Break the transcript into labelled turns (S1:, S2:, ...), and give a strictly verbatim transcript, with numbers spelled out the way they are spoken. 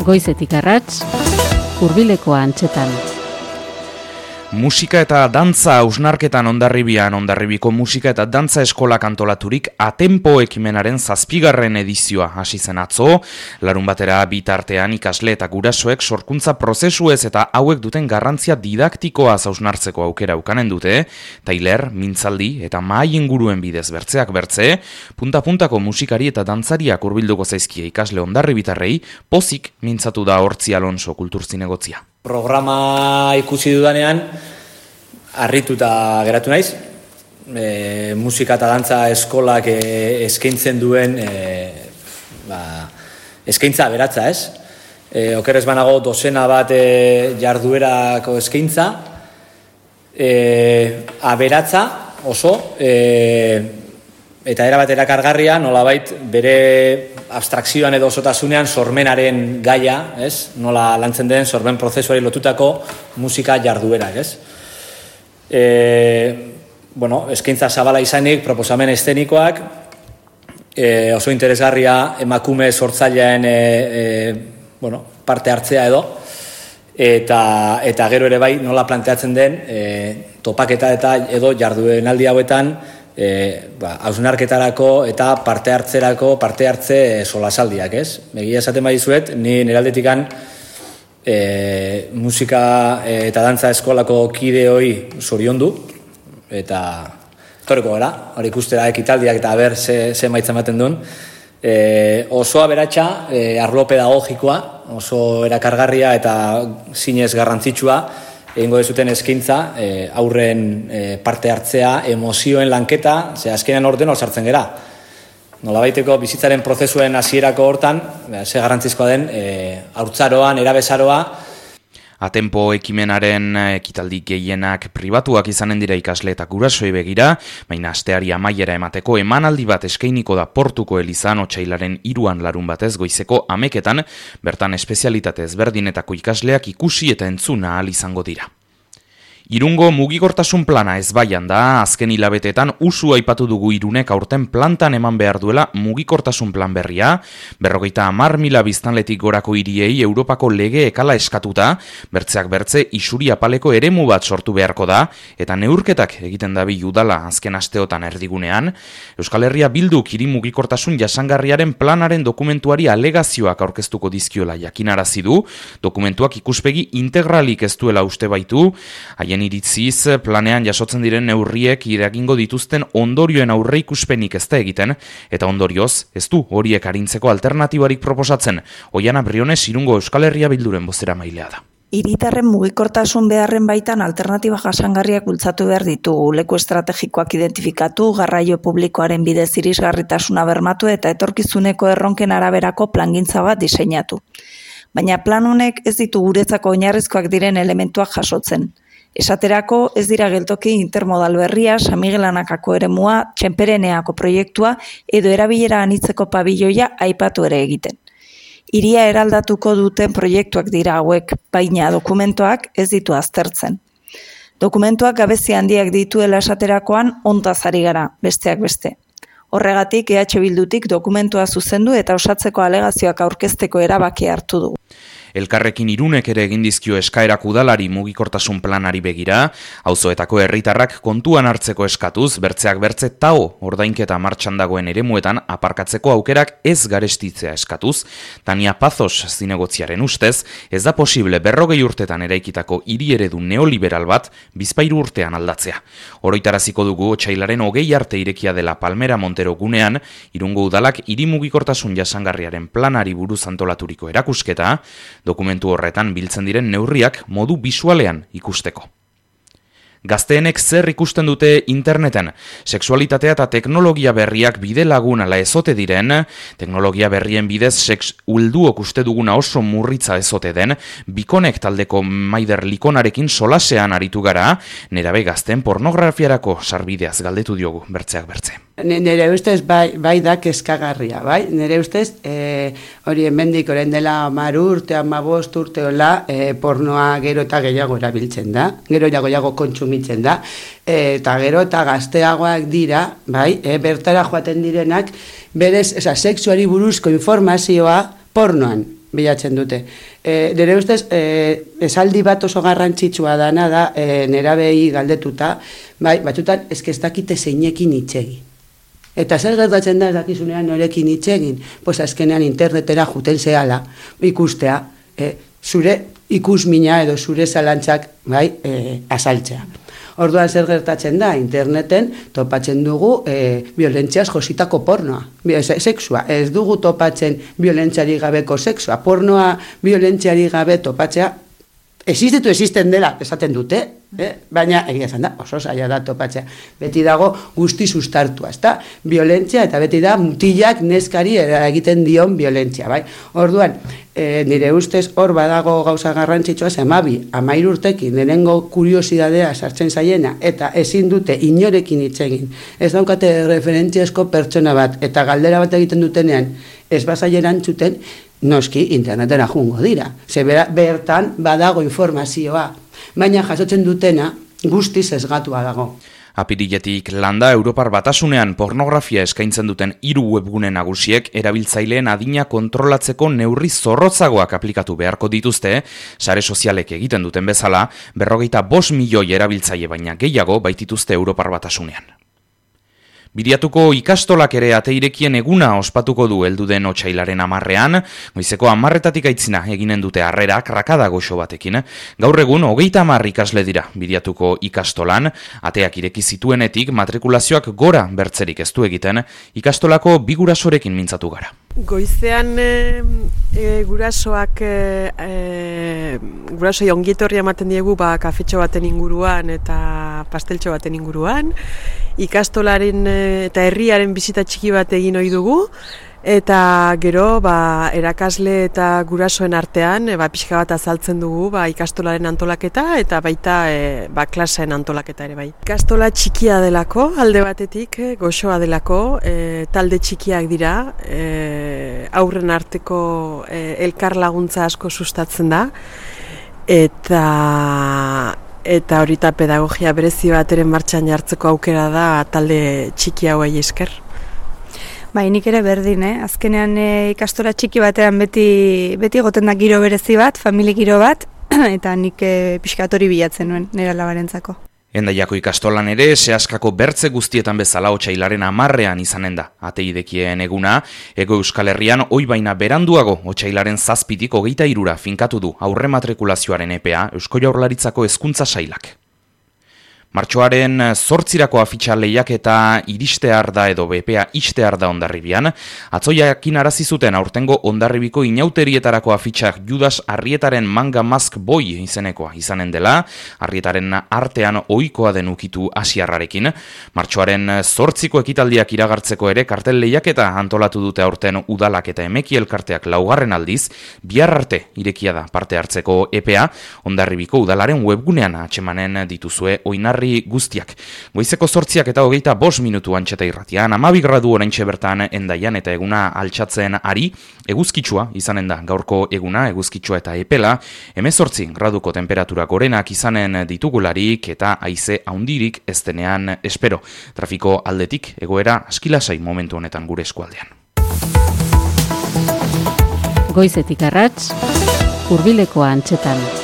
S1: Goizetik arrats, hurbileko antxetan.
S2: Musika eta dantza hausnarketan Hondarribian, Hondarribiko musika eta dantza eskolak antolaturik Atempo ekimenaren zazpigarren edizioa hasi zen atzo. Larun batera bitartean ikasle eta gurasoek sorkuntza prozesuez eta hauek duten garrantzia didaktikoa hausnartzeko aukera ukanen dute. Tailer, mintzaldi eta mahai inguruen bidez bertzeak bertze, punta-puntako musikari eta dantzariak hurbilduko zaizkie ikasle hondarribitarrei, pozik mintzatu da Hortzi Alonso kulturzinegotzia.
S3: Programa ikusi dudanean, harrituta geratu naiz. E, musika eta dantza eskolak e, eskaintzen duen e, ba, eskaintza aberatza, ez? E, okerrez banago dozena bat e, jarduerako eskaintza, e, aberatza oso, e, eta erabat erakargarria, nolabait bere abstrakzioan edo osotasunean sormenaren gaia, ez? Nola lantzen den sormen prozesuari lotutako musika jarduerak, ez? E, bueno, eskaintza zabala izanik, proposamen eszenikoak, e, oso interesgarria emakume sortzailean e, e, bueno, parte hartzea edo, eta, eta gero ere bai nola planteatzen den e, topaketa eta edo jarduenaldi hauetan E, ba, hausnarketarako eta parte hartzerako parte hartze solasaldiak, ez? Egia esaten badizuet, ni neraldetikan e, musika eta dantza eskolako kideoi zoriondu eta torreko gara, hori ikustera ekitaldiak eta ber ze, ze maitza ematen duen. E, oso aberatsa, e, arlo pedagogikoa, oso erakargarria eta zinez garrantzitsua, egingo dezuten eskaintza, e, aurren e, parte hartzea, emozioen lanketa, ze azkenean orden hor sartzen gera. Nolabaiteko bizitzaren prozesuen hasierako hortan, ze garrantzizkoa den, e, haurtzaroan, erabezaroa.
S2: Atempo ekimenaren ekitaldi gehienak pribatuak izanen dira ikasle eta gurasoei begira, baina asteari amaiera emateko emanaldi bat eskainiko da Portuko Elizan otsailaren hiruan larun batez goizeko hameketan, bertan espezialitate ezberdinetako ikasleak ikusi eta entzuna ahal izango dira. Irungo mugikortasun plana ezbaian da, azken hilabeteetan usu aipatu dugu Irunek aurten plantan eman behar duela mugikortasun plan berria, berrogeita hamar mila biztanletik gorako hiriei Europako lege ekala eskatuta, bertzeak bertze isuri apaleko eremu bat sortu beharko da, eta neurketak egiten dabi udala azken asteotan erdigunean. Euskal Herria Bilduk hiri mugikortasun jasangarriaren planaren dokumentuari alegazioak aurkeztuko dizkiola jakinarazi du, dokumentuak ikuspegi integralik ez duela uste baitu, haien iritziz planean jasotzen diren neurriek iragingo dituzten ondorioen aurreikuspenik ez da egiten, eta ondorioz ez du horiek arintzeko alternatibarik proposatzen. Oiana Briones Irungo Euskal Herria Bilduren bozera mailea da.
S4: Hiritarren mugikortasun beharren baitan alternatiba jasangarriak bultzatu behar ditugu, leku estrategikoak identifikatu, garraio publikoaren bidez irisgarritasuna bermatu eta etorkizuneko erronken araberako plangintza bat diseinatu. Baina plan honek ez ditu guretzako oinarrizkoak diren elementuak jasotzen. Esaterako ez dira geltoki intermodal berria, San Miguel Anakako eremua, Txenpereneako proiektua edo erabilera anitzeko pabiloia aipatu ere egiten. Hiria eraldatuko duten proiektuak dira hauek, baina dokumentuak ez ditu aztertzen. Dokumentuak gabezi handiak dituela esaterakoan ontaz ari gara, besteak beste. Horregatik E H Bildutik dokumentua zuzendu eta osatzeko alegazioak aurkezteko erabaki hartu dugu.
S2: Elkarrekin Irunek ere egin dizkio eskaerak udalari mugikortasun planari begira, auzoetako herritarrak kontuan hartzeko eskatuz, bertzeak bertze tao ordainketa martxan dagoen eremuetan aparkatzeko aukerak ez garestitzea eskatuz. Tania Pazos zinegotziaren ustez, ez da posible berrogei urtetan eraikitako hiri eredu neoliberal bat bizpahiru urtean aldatzea. Oroitaraziko dugu otsailaren hogei arte irekia dela Palmera Montero gunean, Irungo udalak hiri mugikortasun jasangarriaren planari buruz antolaturiko erakusketa, dokumentu horretan biltzen diren neurriak modu bisualean ikusteko. Gazteenek zer ikusten dute interneten, sexualitatea eta teknologia berriak bide lagun ala ezote diren, teknologia berrien bidez sex ulduok uste duguna oso murritza ezote den, Bikonek taldeko Maider Likonarekin solasean aritu gara, nerabe gazteen pornografiarako sarbideaz galdetu diogu bertzeak bertze.
S5: Nere ustez bai, bai da kezkagarria, bai? Nere ustez e, hori hemendik orain dela hamar urte, hamabost urte hola, e, pornoa gero eta gehiago erabiltzen da, gero eta gehiago kontsumitzen da, e, eta gero eta gazteagoak dira, bai? E, bertara joaten direnak, berez, esa, sexuari buruzko informazioa pornoan bilatzen dute. E, Dere ustez, e, esaldi bat oso garrantzitsua dana da, e, nerabei galdetuta, bai, batzutan, eske ez dakite zeinekin itxegi. Eta zer gertatzen da ez dakizunean norekin itxegin, pues azkenean internetera juten zehala, ikustea, e, zure ikusmina edo zure zalantzak, bai, e, azaltzea. Orduan zer gertatzen da, interneten topatzen dugu e, violentziaz jositako pornoa, sexua. Ez dugu topatzen violentziari gabeko sexua. Pornoa violentziari gabe topatzea, existitu existen dela, esaten dute, eh? Baina egia esan da, oso zaila da topatzea. Beti dago guzti sustartua, ezta? Violentzia eta beti da mutilak neskari egiten dion violentzia, bai? Orduan, e, nire ustez hor badago gauza garrantzitsua, hamabi, hamahiru urtekin, lehenengo kuriosidadea sartzen zaiena, eta ezin dute inorekin hitz egin. Ez daukate referentziazko pertsona bat, eta galdera bat egiten dutenean, ez bazaileran txuten, noski internetera jungo dira. Ze bertan badago informazioa, baina jasotzen dutena guztiz sesgatua dago.
S2: Apiriletik landa Europar Batasunean pornografia eskaintzen duten hiru webgune nagusiek erabiltzaileen adina kontrolatzeko neurri zorrotzagoak aplikatu beharko dituzte, sare sozialek egiten duten bezala, berrogeita bost milioi erabiltzaile baina gehiago baitituzte Europar Batasunean. Bidiatuko ikastolak ere ateirekien eguna ospatuko du heldu den otsailaren hamarrean, goizeko hamarretatik aitzina eginen dute harrera krakada goxo batekin. Gaur egun hogeita hamar ikasle dira Bidiatuko ikastolan, ateak ireki zituenetik matrikulazioak gora bertzerik ez du egiten, ikastolako bi gurasorekin mintzatu gara.
S6: Goizean e, e, gurasoak e, e, gurasoi ongietorria ematen diegu ba, kafetxo baten inguruan eta pasteltxo baten inguruan, ikastolaren e, eta herriaren bizita txiki bat egin ohi dugu, eta gero ba, erakasle eta gurasoen artean e, ba, pixka bat azaltzen dugu ba, ikastolaren antolaketa eta baita e, ba, klaseen antolaketa ere bai. Ikastola txikia delako, alde batetik, e, goxoa delako, e, talde txikiak dira, e, aurren arteko e, elkar laguntza asko sustatzen da, eta eta horita pedagogia berezi bateren martxan jartzeko aukera da talde txiki hauei esker.
S7: Bai, nik ere berdin, eh? Azkenean e, ikastola txiki batean beti beti egoten da giro berezi bat, famili giro bat, eta nik e, pixkatori bilatzen nuen, nire alabarentzako.
S2: Hendaiako ikastolan ere, sehaskako bertze guztietan bezala otsailaren hamarrean izanen da. Ateidekien eguna, Ego Euskal Herrian oi baina beranduago otsailaren zazpitik hogeita hirura finkatu du aurre matrikulazioaren epea Eusko Jaurlaritzako hezkuntza sailak. Martxoaren zortzirako afitxa lehiaketa iristear da edo bepea istear da Hondarribian, atzoiakin arazi zuten aurtengo Hondarribiko inauterietarako afitxak Judas Arrietaren Manga Mask Boy izenekoa izanen dela, Arrietaren artean ohikoa den ukitu asiarrarekin. Martxoaren zortziko ekitaldiak iragartzeko ere kartel lehiaketa antolatu dute aurten udalak eta emeki elkarteak laugarren aldiz, bihar arte irekia da parte hartzeko epea, Hondarribiko udalaren webgunean atsemanen dituzue oinarri guztiak. Goizeko zortziak eta hogeita bost minutu antxeta irratian, amabi gradu oraintxe bertan Hendaian eta eguna altxatzen ari, eguzkitsua izanen da gaurko eguna, eguzkitsua eta epela, hemezortzi graduko temperatura gorenak izanen ditugularik eta haize haundirik ez denean espero. Trafiko aldetik egoera askilasai momentu honetan gure eskualdean.
S1: Goizetik arrats, hurbileko antxetan.